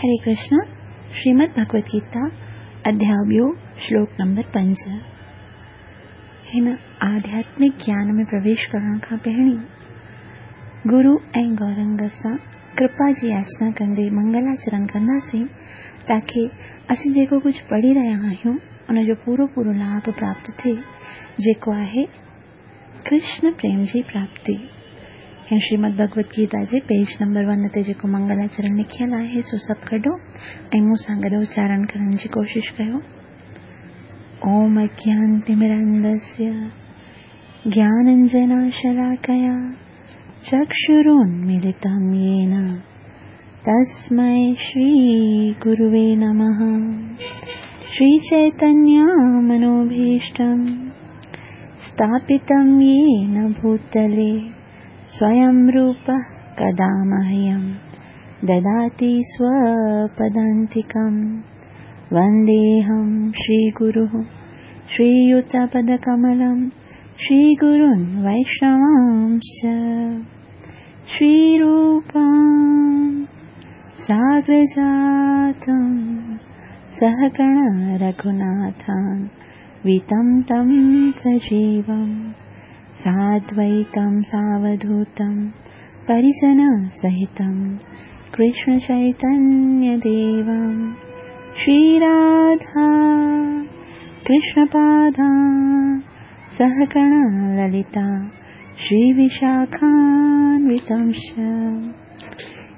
هري ڪرشنا، شريمد ڀڳوت گيتا، اڌياء ٻيو، شلوڪ نمبر 5. هن آڌياتمڪ گيان ۾ پرويش ڪرڻ کان پهرين گرو ۽ گورنگ سان ڪرپا جي ياچنا ڪندي منگلاچرڻ ڪنداسين تاڪي اسين جيڪو ڪجهه پڙهي رهيا آهيون ان جو پورو پورو لاڀ پراپت ٿئي، جيڪو آهي ڪرشن پريم جي پراپتي. هن شريمد ڀڳوت گيتا جي پيج نمبر 1 تي جيڪو منگلاچرڻ لکيل آهي سو سڀ ڪڍو ۽ مون سان گڏ اچارڻ ڪرڻ جي ڪوشش ڪيو. اوم اجيانتمرندسيه گياننجناشلاڪيا چڪشرونميلتم يين تسمي شري گروي نمه. شري چيتنيه منوڀيشٽم स्थापितं येन भूतले स्वयं रूपः कदा मह्यं ददाति स्वपदान्तिकं। वन्देऽहं श्रीगुरुः श्रीयुतपदकमलं श्रीगुरुन् वैष्णवांश्च। श्रीरूपां साग्रजातं सहगण रघुनाथान् वितं तं सजीवं साद्वैतं सावधूतं परिजनसहितं कृष्णचैतन्यदेवं। श्रीराधा कृष्णपादा सहगण ललिता श्रीविशाखान्वितंश्च।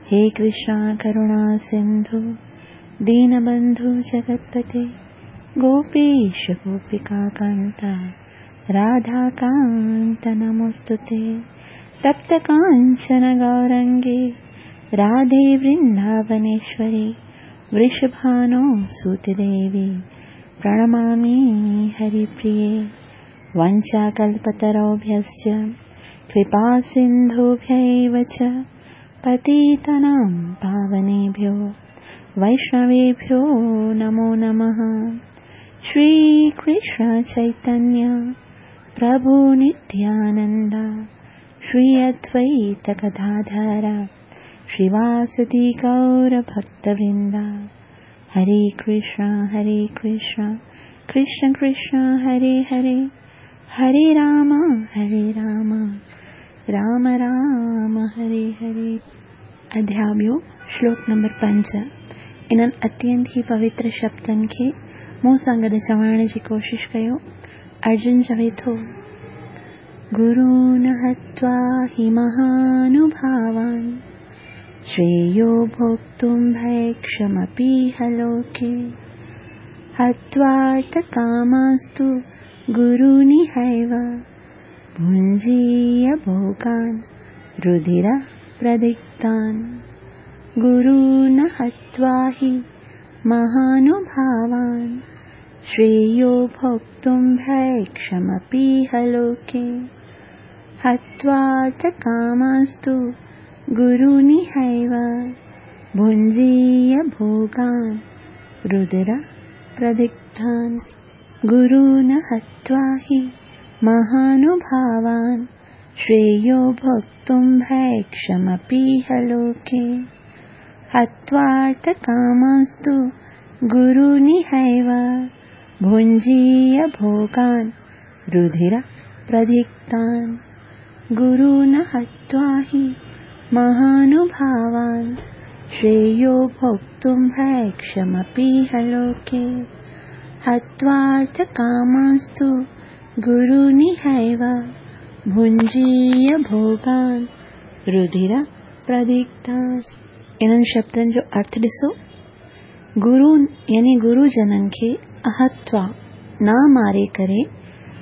हे कृष्णा करुणा सिन्धु दीनबन्धु जगत्पते गोपीश गोपिकान्त राधाकान्त नमोऽस्तु ते। तप्तकाञ्चन गौरङ्गे राधे वृन्दावनेश्वरि वृषभानो सुतदेवी प्रणमामि हरिप्रिये। वञ्चाकल्पतरुभ्यश्च कृपासिन्धुभ्यैव च पतितानां पावनेभ्यो वैष्णवेभ्यो नमो नमः। श्री कृष्ण चैतन्य प्रभु नित्यानंद श्री अद्वैत गदाधर श्रीवासदि गौर भक्तवृंद। हरे कृष्ण हरे कृष्ण कृष्ण कृष्ण हरे हरे, हरे राम हरे राम राम राम हरे हरे। अध्याय ॿियो, श्लोक नंबर 5। इन्हनि अत्यंत ई पवित्र शब्दनि खे मूं सां गॾु चवण जी कोशिश कयो। अर्जुन चवे थो, गुरून् हत्वा हि महानुभावान् श्रेयो भोक्तुं भैक्षमपीह लोके। हत्वार्थकामांस्तु गुरूनिहैव भुञ्जीय भोगान् रुधिरप्रदिग्धान्। गुरून् हत्वा हि महानुभावान् श्रेयो भोक्तुं भैक्षमपीह लोके। हत्वार्थकामांस्तु गुरूनिहैव भुञ्जीय भोगान् रुधिरप्रदिग्धान्। गुरून् हत्वा हि महानुभावान् श्रेयो भोक्तुं भैक्षमपीह लोके। हत्वार्थकामांस्तु गुरूनिहैव भुञ्जीय भोगान् रुधिरप्रदिग्धान्। गुरून् हत्वा हि महानुभावान् श्रेयो भोक्तुं भैक्षमपीह लोके। हत्वार्थकामांस्तु गुरूनिहैव भुञ्जीय भोगान् रुधिरप्रदिग्धान्। इन्हनि शब्दनि जो अर्थ ॾिसो। गुरू यानी गुरुजननि खे अहत्वा न मारे करे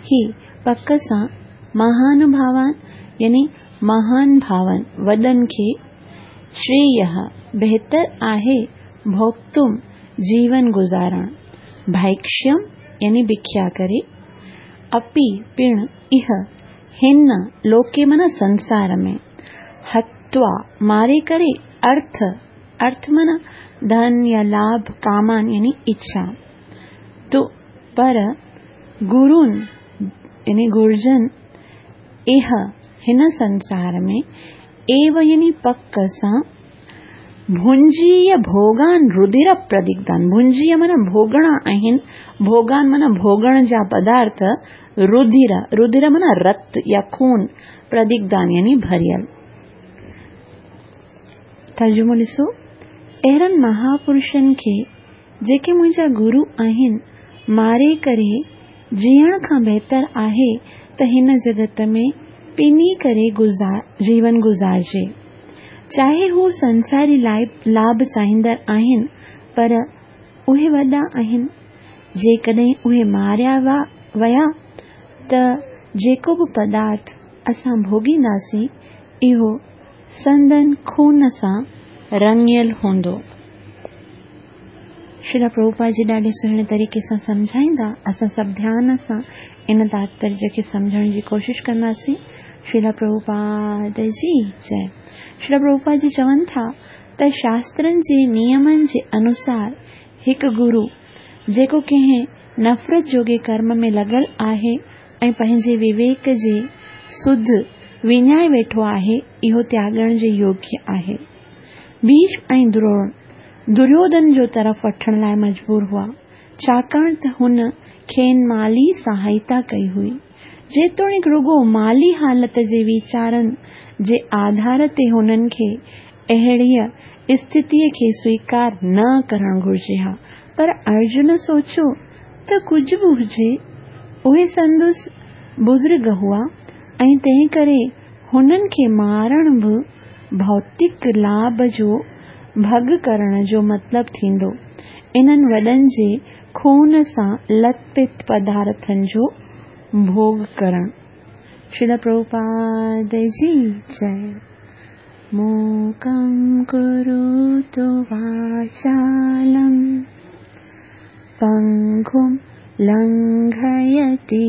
ही पक सां महानुभावान यानी महान भावन वॾनि खे श्रेयः बहितर आहे भोक्तुम जीवन गुज़ारण, भैक्ष्यम यानी भिक्षा करे, अपि पिण इह हिन लोके माना संसार में, हत्वा मारे करे अर्थ, अर्थ माना धन या लाभ, कामान यानी इच्छा। तो पर गुरुन यानी गुरुजन इह हिन संसार में एव यानी पक सां ڀنجيء ڀوڳان ردر پردگڌان، ڀنجيء معنيٰ ڀوڳڻا آهن، ڀوڳان معنيٰ ڀوڳڻ جا پدارٿ، ردر، ردر معنيٰ رت يا خون، پردگڌان يعني ڀريل. ترجمو ڏسو، اهڙن مهاپرشن کي جيڪي منهنجا گرو آهن، ماري ڪري جيئڻ کان بهتر آهي ته هن جڳت ۾ پني ڪري جيون گذارجي. چاهي هو سنساري لاڀ چاهيندڙ آهن پر اهي وڏا آهن. جيڪڏهن اهي ماريا ويا ته جيڪو به پدارٿ اسان ڀوڳينداسين اهو سندن خون سان رڱيل هوندو. شريلا پرڀوپاد جي ڏاڍي سهڻي طريقي سان سمجهائيندا. اسان سڀ ڌيان سان ان تاتپريه کي سمجهڻ جي ڪوشش ڪنداسين. شريلا پرڀوپاد جي جئي. شريلا پرڀوپاد جي چون ٿا ته شاسترن جي نيمن جي انوسار هڪ گرو جيڪو ڪنهن نفرت جوڳي ڪرم ۾ لڳل آهي ۽ پنهنجي وويڪ جي سڌ وڃائي ويٺو آهي، اهو تياڳڻ جي يوگيه آهي. ڀيشم ۽ دروڻ دريوڌن جو طرف وٺڻ لاء مجبور هئا، ڇاڪاڻ ته هن کين مالي سهائتا ڪئي هئي. جيتوڻيڪ رڳو مالي حالت جي ويچارن جي آڌار تي هنن کي اهڙيء اسٿتيء کي سويڪار نه ڪرڻ گهرجي ها، پر ارجن سوچيو ته ڪجهه به هجي، اهي سندس بزرگ هئا ۽ تنهنڪري هنن کي مارڻ به ڀوتڪ لاڀ جو ڀڳ ڪرڻ جو مطلب ٿيندو، انهن وڏن جي خون سان لت پت پدارٿن جو ڀوڳ ڪرڻ. شريلا پرڀوپاد جي جئي. موڪم ڪروتو واچالم پنگم لنگهيتي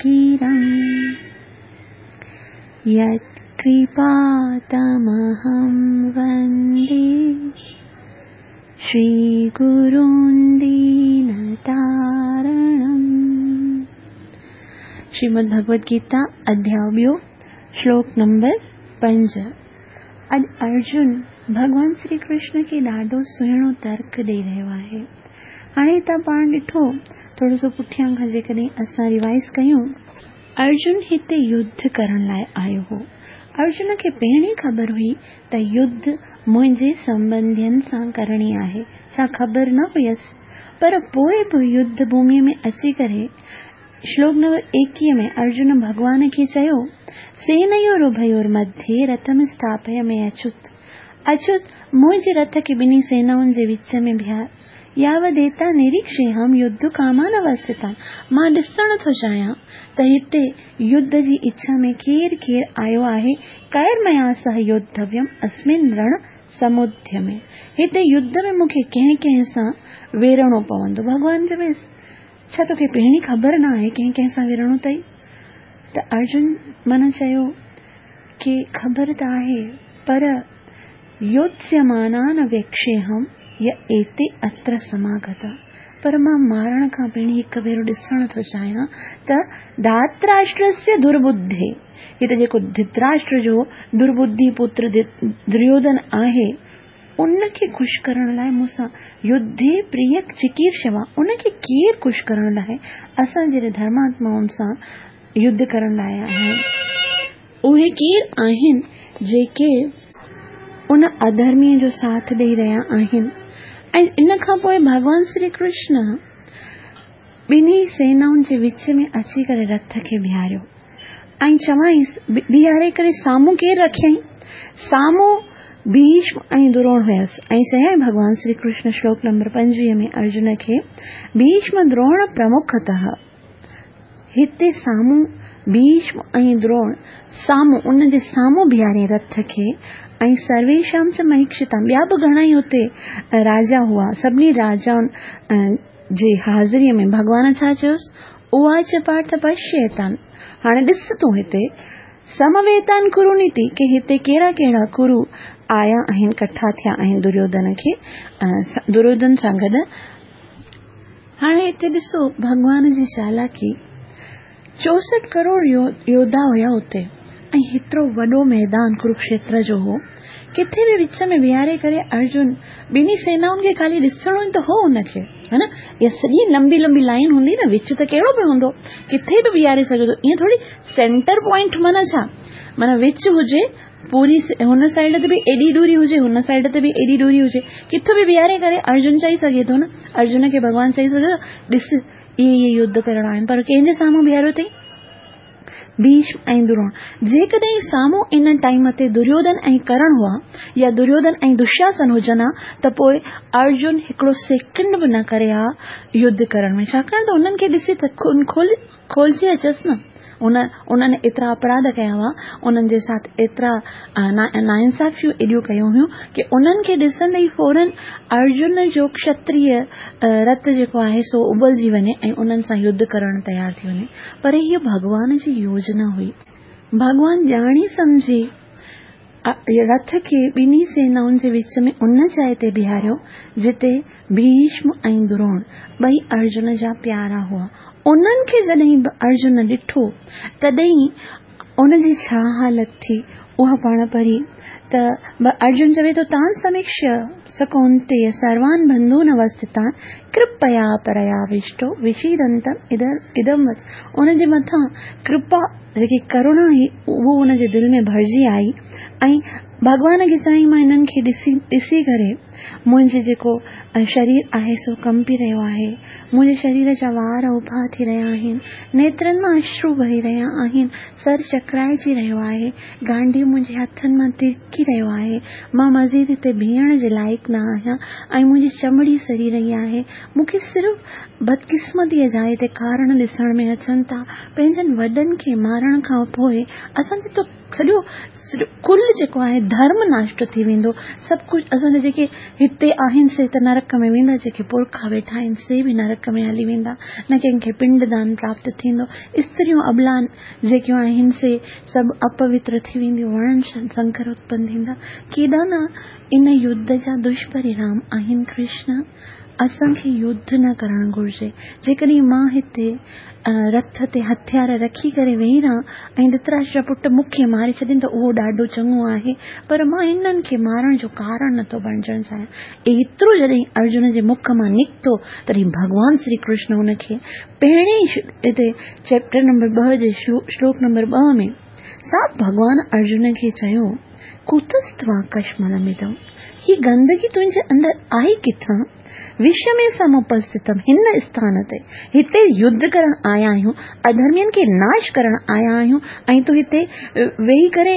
گرم يت ڪرپا تمهم وندي شري گرون دين تارڻم. شريمد ڀڳوت گيتا اڌياء ٻيو شلوڪ نمبر 5. اڄ ارجن ڀڳوان شري ڪرشن کي ڏاڍو سهڻو ترڪ ڏئي رهيو آهي. هاڻي هتان پاڻ ڏٺو ٿورو سو پٺيان کان جيڪڏهن اسان ريوائز ڪيون. ارجن هتي يڌ ڪرڻ لاء آيو هو. ارجن کي پهرين خبر هئي ته يڌ منهنجي سنٻنڌين سان ڪرڻي آهي، ڇا خبر نه هيس؟ پر پوء به يڌ ڀوميء ۾ اچي ڪري شلوڪ نمبر 21 ۾ ارجن ڀڳوان کي چيو، سينيورڀيورمڌيي رٿم اسٿاپي مي اچت. اچت، منهنجي رٿ کي ٻنهي سينائن جي وچ ۾ بيهار. ياوديتا نريڪشيهم يڌ ڪامان اوستتان، مان ڏسڻ ٿو چاهيان ته هتي يڌ جي اڇا ۾ ڪير ڪير آيو آهي، ڪير ميا سه يوڌويم اسمن رڻ سموديمي، هتي يڌ ۾ مون کي ڪنهن ڪنهن سان ويڙهڻو پوندو. ڀڳوان چويس، ڇا توکي پهرين خبر نه آهي ڪنهن ڪنهن سان ويڙهڻو اٿئي؟ ته ارجن من چيو ڪي خبر ته آهي پر يوتسيمانان ويڪشيهم ي ايتي اتر سماگتا پر مان مارڻ کان پهرين هڪ ڀيرو ڏسڻ ٿو چاهيان ته ڌاتراشٽرسيه درٻڌي هي ته جيڪو ڌتراشٽر جو درٻڌي پتر دريوڌن آهي ان کي خوش ڪرڻ لاء مون سان يڌي پريه چڪيرشوا ان کي ڪير خوش ڪرڻ لاء اسان جهڙي ڌرماتمائن سان يڌ ڪرڻ لاء آيا آهن. اهي ڪير آهن جيڪي ان اڌرميء جو ساٿ ڏئي رهيا آهن؟ ۽ ان کان پوء ڀڳوان شري ڪرشن ٻنهي سينائن جي وچ ۾ اچي ڪري رٿ کي بيهاريو ۽ چوائينس، بيهاري ڪري سامهون ڪير رکيائين؟ سامهون ڀيشم ۽ دروڻ هيس ۽ چيائين ڀڳوان شري ڪرشن شلوڪ نمبر 25 ۾ ارجن کي ڀيشم دروڻ پرمکتः هتي سامهون ڀيشم ۽ دروڻ سامهون ان جي سامهون بيهارين رٿ کي ۽ سرويشام چ مهيڪشتام ٻيا به گهڻا ئي اتي راجا هئا سڀني راجائن جي حاضريء ۾ ڀڳوان ڇا چيس اواچ پارٿ پشيتان هاڻي ڏس تون هتي سمويتان ڪرونيتي ڪي هتي ڪهڙا ڪهڙا ڪرو آيا آهن ڪٺا ٿيا آهن دريوڌن کي دريوڌن سان گڏ هاڻي هتي ڏسو ڀڳوان جي چالاڪي، 64 ڪروڙ يوڌا هيا اتي ۽ هيترو وڏو ميدان ڪروڪشيتر جو هو. ڪٿي به وچ ۾ بيهاري ڪري ارجن ٻنهي سينائن کي خالي ڏسڻو ئي ته هو هن کي، ها نه؟ اها سڄي لمبي لمبي لائين هوندي نه، وچ ته ڪهڙو به هوندو، ڪٿي به بيهاري سگهي ٿو. ائين ٿوري سينٽر پوائنٽ معنيٰ ڇا؟ معنيٰ وچ هجي، پوري هن سائيڊ تي به ايڏي ڏوري هجي، هن سائيڊ تي به ايڏي ڏوري هجي، ڪٿي به بيهاري ڪري ارجن چئي سگهي ٿو نه، ارجن کي ڀڳوان چئي سگهي ٿو، ڏس اهي اهي يڌ ڪرڻا آهن، پر ڪنهن جي سامهون بيهاريو اٿئي؟ ڀيشم ۽ دروڻ. جيڪڏهن سامهون ان ٽائيم تي دريوڌن ۽ ڪرڻ هئا يا دريوڌن ۽ دشاسن هجن ها ته پوء ارجن هڪڙو سيڪنڊ به نه ڪري ها يڌ ڪرڻ ۾ ڇاڪاڻ ته انهن کي ڏسي ته خون کولجي اچيس نه. انهن ايترا اپراڌ ڪيا هئا، انهن جي ساٿ ايترا ناانصافيون ايڏيون ڪيون هيون ڪي انهن کي ڏسندي ئي فورن ارجن جو ڪشتريه رت جيڪو آهي سو ابلجي وڃي ۽ انهن سان يڌ ڪرڻ تيار ٿي وڃي. پر هيء ڀڳوان جي يوجنا هئي. ڀڳوان ڄاڻي سمجهي رٿ کي ٻنهي سينائن جي وچ ۾ ان جاء تي بيهاريو، جتي ڀيشم ۽ دروڻ ٻئي ارجن جا پيارا هئا. انهن کي جڏهن به ارجن ڏٺو، تڏهن ان جي ڇا حالت ٿي، اها پاڻ پڙهي ته ارجن چوي ٿو، تان سميڪشيه س ڪونتيه سروان بنڌون اوسٿتان ڪرپيا پرياوشٽو وشيدنتم ادم وچ. ان جي مٿان ڪرپا جيڪي ڪروڻا هئي اهو ان جي دل ۾ ڀرجي آئي ۽ ڀڳوان کي چيائين مان انهن کي ڏسي ڏسي ڪري منهنجي جيڪو شرير آهي سو ڪنپي رهيو آهي، منهنجي شرير جا وار اڀا ٿي رهيا آهن، نيترن مان اشرو وهي رهيا آهن، سر چڪرائجي رهيو آهي، گانڊيو منهنجي هٿن مان ترڪي رهيو آهي، مان مزيد هتي بيهڻ جي لائق نه آهيان ۽ منهنجي چمڙي سڙي رهي آهي، مون کي صرف بدقسمتيء جا هتي ڪارڻ ڏسڻ ۾ اچن ٿا، پنهنجن وڏن کي مارڻ کان پوء اسان جي ته سڄو ڪل جيڪو آهي ڌرم ناشٽ ٿي ويندو، سڀ ڪجهه اسان جا جيڪي هتي آهن سي ته نرڪ ۾ ويندا، جيڪي پرکا ويٺا آهن سي به نرڪ ۾ هلي ويندا، نه ڪنهن کي پنڊ دان پراپت ٿيندو، استريون ابلان جيڪيون آهن سي سڀ اپوتر ٿي وينديون، ورڻ سنڪر اتپن ٿيندا، ڪيڏا نه ان يڌ جا دشپرڻام آهن ڪرشن! اسان کي يڌ نه ڪرڻ گهرجي. جيڪڏهن مان هتي رٿ تي هٿيار رکي ڪري ويهي رهان ۽ ڌتراشٽر جا پٽ مون کي ماري ڇڏين ته اهو ڏاڍو چڱو آهي، پر مان انهن کي مارڻ جو ڪارڻ نه ٿو بڻجڻ چاهيان. ايترو جڏهن ارجن جي مک مان نڪتو، تڏهن ڀڳوان شري ڪرشن هن کي پهرين ئي هتي چيپٽر نمبر ٻه جي شلوڪ نمبر ٻه ۾ صاف ڀڳوان ارجن کي چيو، ڪتستوا ڪشملمدم، هي گندگي تنهنجي اندر آئي ڪٿان؟ وشمي سمپسٿتم، هن اسٿان تي، هتي يڌ ڪرڻ آيا آهيون، اڌرمين کي ناش ڪرڻ آيا آهيون ۽ تون هتي ويهي ڪري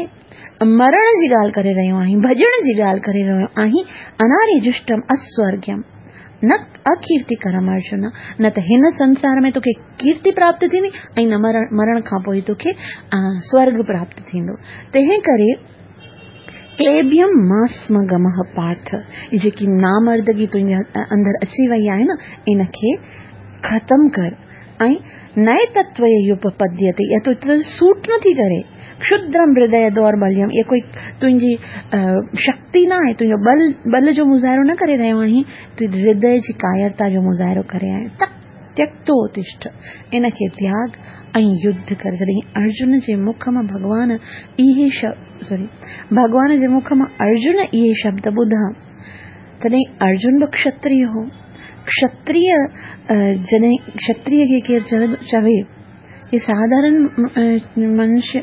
مرڻ جي ڳالهه ڪري رهيو آهين، ڀڄڻ جي ڳالهه ڪري رهيو آهين، اناري جشٽم اسورگيم نه اڪيرتي ڪرم ارجن، نه ته هن سنسار ۾ توکي ڪيرتي پراپت ٿيندي ۽ نه مرڻ کان پوء توکي سورگ پراپت ٿيندو، تنهن ڪري ڪليبيم ماسم گمه پارٿ، هي جيڪي نامردگي تنهنجي اندر اچي وئي آهي نه، ان کي ختم ڪر ۽ نئين تتوي يوپپديتي، اها تو تي سوٽ نه ٿي ڪري، ڪشدرم هردي دوربليم، اها ڪوئي تنهنجي شڪتي نه آهي، تنهنجو ٻل ٻل جو مظاهرو نه ڪري رهيو آهين، تون هردي جي ڪايرتا جو مظاهرو ڪري رهيو آهين. تيڪتو تشٺ، ان کي تياڳ ۽ يڌ ڪر. جڏهن ارجن جي مک مان ڀڳوان اهي سوري ڀڳوان جي مک مان ارجن اهي شبد ٻڌا، تڏهن ارجن به ڪشتريه هو. ڪشتريه جڏهن ڪشتريه کي ڪير چوي ڪي ساڌارن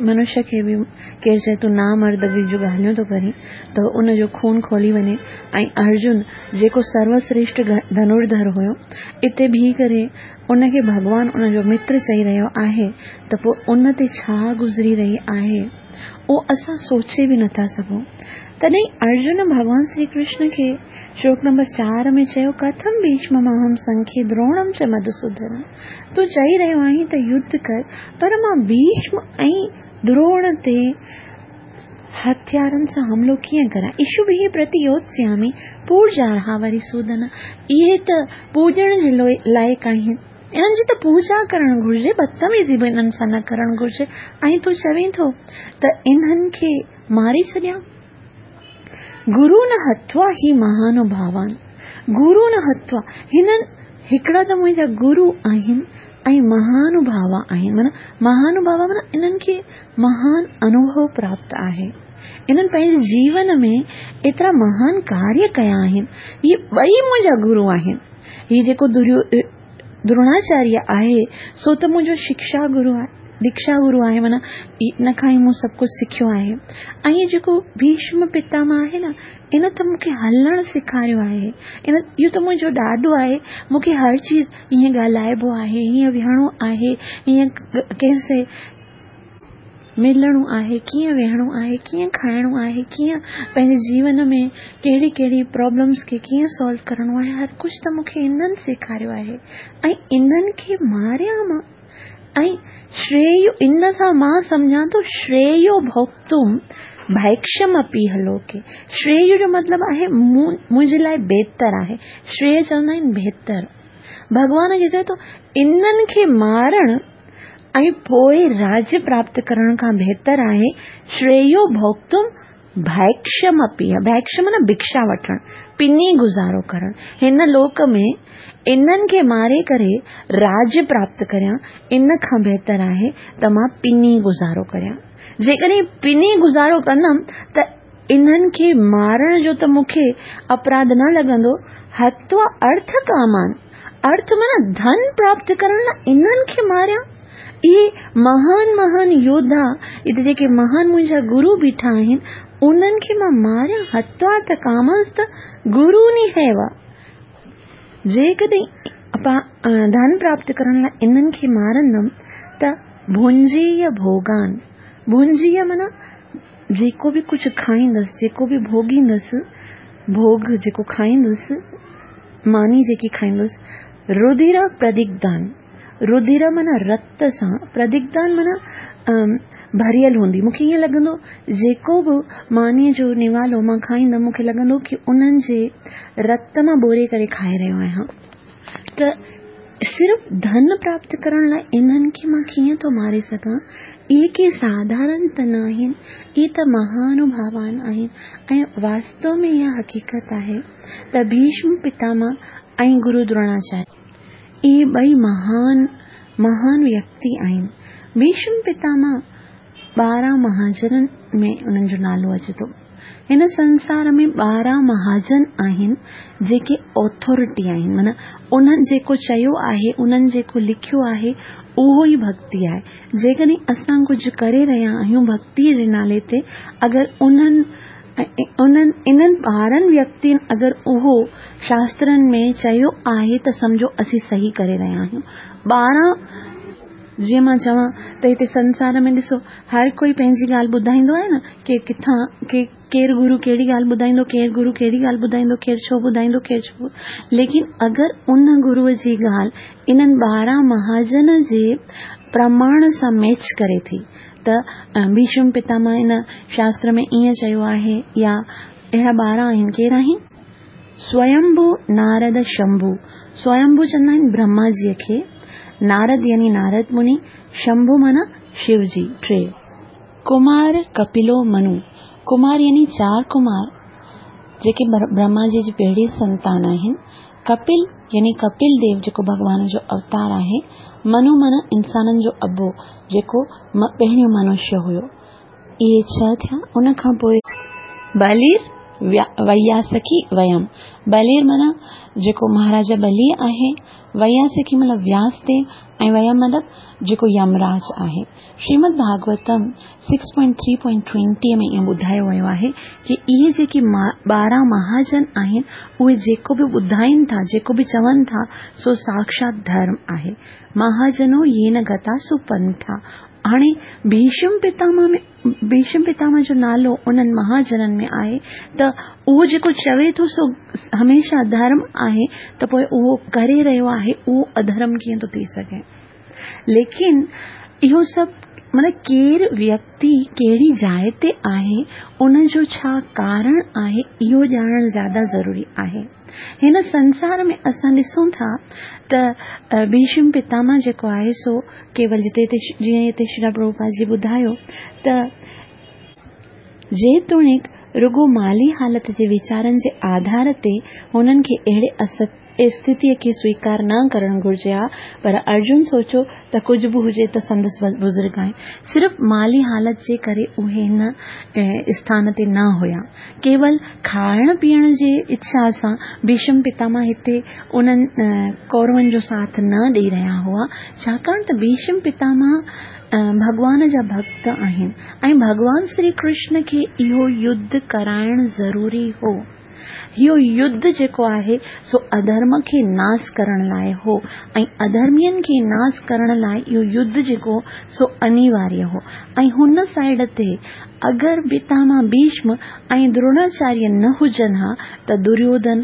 منشيه کي به ڪير چئي تون نامردگي جون ڳالهيون ٿو ڪرين ته ان جو خون کولي وڃي ۽ ارجن جيڪو سروشريشٺ ڌنرڌر هيو اتي بيهي ڪري ان کي ڀڳوان ان جو متر چئي رهيو آهي ته پوء ان تي ڇا گذري رهي آهي اهو اسان سوچي به نٿا سگهون. تڏهن ارجن ڀڳوان شري ڪرشن کي شلوڪ نمبر چار ۾ چيو، ڪٿم ڀيشمماهم سنکي دروڻم چ مڌسودن. تون چئي رهيو آهين ته يڌ ڪر، پر مان ڀيشم ۽ دروڻ تي هٿيارن سان حملو ڪيئن ڪريان؟ اشوڀيه پرتيوتسيامي پوڄارها وريسودن. اهي ته پوڄڻ جي لائق آهن. انهن جي ته پوڄا ڪرڻ گهرجي، بدتميزي به انهن سان نه ڪرڻ گهرجي ۽ تون چوين ٿو ته انهن کي ماري ڇڏيان؟ گرون هتوا هي مهانوڀاوان، گرون هتوا، هنن هڪڙا ته منهنجا گرو آهن ۽ مهانڀاوا آهن. معنيٰ مهانڀاوا معنيٰ انهن کي مهان انوڀو پراپت آهي. انهن پنهنجي جيون ۾ ايترا مهان ڪاريه ڪيا آهن. هي ٻئي منهنجا گرو آهن. هي جيڪو دروناچاريه آهي سو ته منهنجو شڪشا گرو آهي، ديڪشا گرو آهي معنيٰ ان کان ئي مون سڀ ڪجهه سکيو آهي. ۽ هي جيڪو ڀيشم پتامه آهي نه ان ته مون کي هلڻ سيکاريو آهي. ان اهو ته منهنجو ڏاڏو آهي. مون کي هر چيز هيئن ڳالهائبو آهي، هيئن ويهڻو آهي، هيئن ڪنهن سي ملڻو آهي، ڪيئن ويهڻو آهي، ڪيئن کائڻو آهي، ڪيئن پنهنجي جيون ۾ ڪهڙي ڪهڙي پرابلمس کي ڪيئن سالو ڪرڻو آهي، هر ڪجهه ته مون کي انهن سيکاريو آهي ۽ انهن کي ماريان مان ۽ شريو ان سان مان سمجهان ٿو شريو ڀوڪتم ڀائڪشم اپيهه لوڪي شريو جو مطلب آهي منهنجي لاء بهتر آهي شريو چوندا آهن بهتر ڀڳوان کي چئي ٿو انهن کي مارڻ ۽ پوء راڄ پراپت ڪرڻ کان بهتر آهي شريو ڀوڪتم ڀائڪشم اپيهه ڀائڪشم معنيٰ ڀکشا وٺڻ، پني گذارو ڪرڻ. هن لوڪ ۾ انهن کي ماري ڪري راڄ پراپت ڪريان ان کان بهتر آهي ته مان پني گذارو ڪريان. جيڪڏهن پني گذارو ڪندم ته انهن کي مارڻ جو ته مون کي اپراڌ نه لڳندو. هتوا ارٿ ڪامان، ارٿ معنيٰ ڌن پراپت ڪرڻ لاء انهن کي ماريان؟ اهي مهان مهان يوڌا، هتي جيڪي مهان منهنجا گرو بيٺا آهن، انهن کي مان ماريان؟ هتوا ارٿ ڪامانس ته گرو نهيوا. جيڪڏهن ڌن پراپت ڪرڻ لاء انهن کي مارندم ته ڀنجيء ڀوڳان، ڀنجيء معنيٰ جيڪو به ڪجهه کائيندس، جيڪو به ڀوڳيندس، ڀوڳ جيڪو کائيندس، ماني جيڪي کائيندس، رڌير پردگدان، رڌير معنيٰ رت سان، پردگدان معنيٰ ڀريل هوندي. مون کي ائين لڳندو جيڪو به مانيء جو نوالو مان کائيندم، مون کي لڳندو ڪي انهن جي رت مان ٻوري ڪري کائي رهيو آهيان. ته صرف ڌن پراپت ڪرڻ لاء انهن کي مان ڪيئن ٿو ماري سگهان؟ اهي ڪي ساڌارڻ ته ناهن، اهي ته مهانڀاوان آهن ۽ واستو ۾ اها حقيقت آهي ته ڀيشم پتامه ۽ گرو دروناچاريه اهي ٻئي مهان مهان ويڪتي آهن. ڀيشم پتامه 12 مهاجنن ۾ انهن جو نالو اچي ٿو. هن سنسار ۾ 12 مهاجن آهن جيڪي اٿارٽي آهن معنيٰ انهن جيڪو چيو آهي انهن جيڪو لکيو آهي اهو ئي ڀڳتي آهي. جيڪڏهن اسان ڪجهه ڪري رهيا آهيون ڀڳتي جي نالي تي اگر انهن انهن انهن 12 ويڪتين اگر اهو شاسترن ۾ چيو آهي ته سمجهو اسين صحيح ڪري رهيا آهيون. 12 جيئن مان چوان ته هتي سنسار ۾ ڏسو هر ڪوئي پنهنجي ڳالهه ٻڌائيندو آهي نه ڪي ڪٿان ڪي ڪير گرو ڪهڙي ڳالهه ٻڌائيندو ڪير گرو ڪهڙي ڳالهه ٻڌائيندو ڪير ڇو ٻڌائيندو ڪير ڇو ليڪن اگر ان گروء جي ڳالهه انهن 12 مهاجن جي پرماڻ سان ميچ ڪري ٿي ته ڀيشم پتامه ان شاستر ۾ ائين چيو آهي يا اهڙا 12 آهن ڪير آهن؟ سويمڀو نارد شمڀو، سويمڀو چوندا آهن برهما جيء کي، نارد يعني نارد مني، شمڀو معنيٰ شو جي، ٽي. ڪمار ڪپلو منو، ڪمار يعني چار ڪمار جيڪي برهما جي جي پهرين سنتان آهن، ڪپل يعني ڪپل ديو جيڪو ڀڳوان جو اوتار آهي، منو معنيٰ انسانن جو ابو جيڪو پهريون منشيه هيو. اهي ڇهه ٿيا، ان کان پوء. بلير وياسڪي ويم، بلير معنيٰ جيڪو مهاراجا بلي آهي، وياسڪي مطلب وياس ديو ۽ ويم مطلب جيڪو يمراج آهي. شريمد ڀاڳوتم 6.3.20 ۾ ائين ٻڌايو ويو آهي ڪي اهي جيڪي 12 مهاجن آهن اهي جيڪو به ٻڌائين ٿا جيڪو به چون ٿا سو ساکشات ڌرم آهي. مهاجنو يين گتا سو پنٿا هاڻي ڀيشم پتامه ۾ ڀيشم پتامه جو نالو انهن مهاجنن ۾ آهي ته اهو جيڪو چوي ٿو سو هميشه ڌرم آهي ته پوء اهو ڪري رهيو آهي اهو اڌرم ڪيئن ٿو ٿي سگهي؟ ليڪن اهو سڀ معنيٰ ڪير ويڪتي ڪهڙي جاء تي آهي ان جو ڇا ڪارڻ آهي اهو ڄاڻڻ زياده ضروري آهي. هن سنسار ۾ اسان ڏسون ٿا ته ڀيشم پتامه جيڪو آهي سو ڪيول جتي هتي جيئن هتي شريلا پرڀوپاد جي ٻڌايو ته جيتوڻيڪ رڳو مالي حالت جي ويچارن جي آڌار تي هنن کي اهڙي اسٿتيء کي سويڪار نه ڪرڻ گهرجي ها، پر ارجن سوچيو ته ڪجهه به هجي ته سندس بزرگ آهن. صرف مالي حالت جي ڪري اهي هن اسٿان تي نه هيا. ڪيول کائڻ پيئڻ جي اڇا سان ڀيشم پتاماه هتي انهن ڪورون جو ساٿ نه ڏئي رهيا هئا، ڇاڪاڻ ته ڀيشم پتاماه ڀڳوان جا ڀڳت آهن ۽ ڀڳوان شري ڪرشن کي اهو يڌ ڪرائڻ ضروري هو. اهو يڌ جيڪو آهي سو اڌرم کي ناس ڪرڻ لاء هو ۽ اڌرمين کي ناس ڪرڻ لاء اهو يڌ جيڪو سو انيواريه هو ۽ هن سائيڊ تي اگر پتاماه ڀيشم ۽ دروڻاچاريه نه هجن ها ته دريوڌن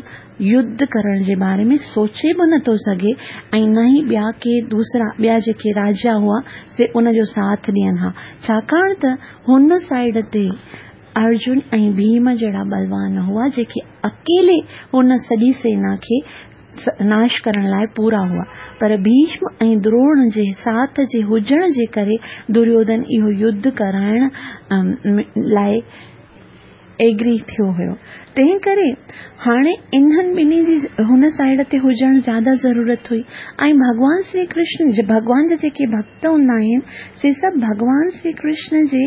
يڌ ڪرڻ جي باري ۾ سوچي به نٿو سگهي ۽ نه ئي ٻيا ڪي دوسرا ٻيا جيڪي راجا هئا سي ان جو ساٿ ڏين ها ڇاڪاڻ ته هن سائيڊ تي ارجن ۽ ڀيم جهڙا ٻلوان هئا جيڪي اڪيلي هن سڄي سينا کي ناش ڪرڻ لاء پورا هئا پر ڀيشم ۽ دروڻ جي ساٿ جي هجڻ جي ڪري دريوڌن اهو يڌ ڪرائڻ لاء ايگري ٿيو هيو تنهن ڪري هاڻي انهن ٻنهي جي هن سائيڊ تي هجڻ زياده ضرورت هئي ۽ ڀڳوان شري ڪرشن ڀڳوان جا جيڪي ڀڳت هوندا آهن سي سڀ ڀڳوان شري ڪرشن جي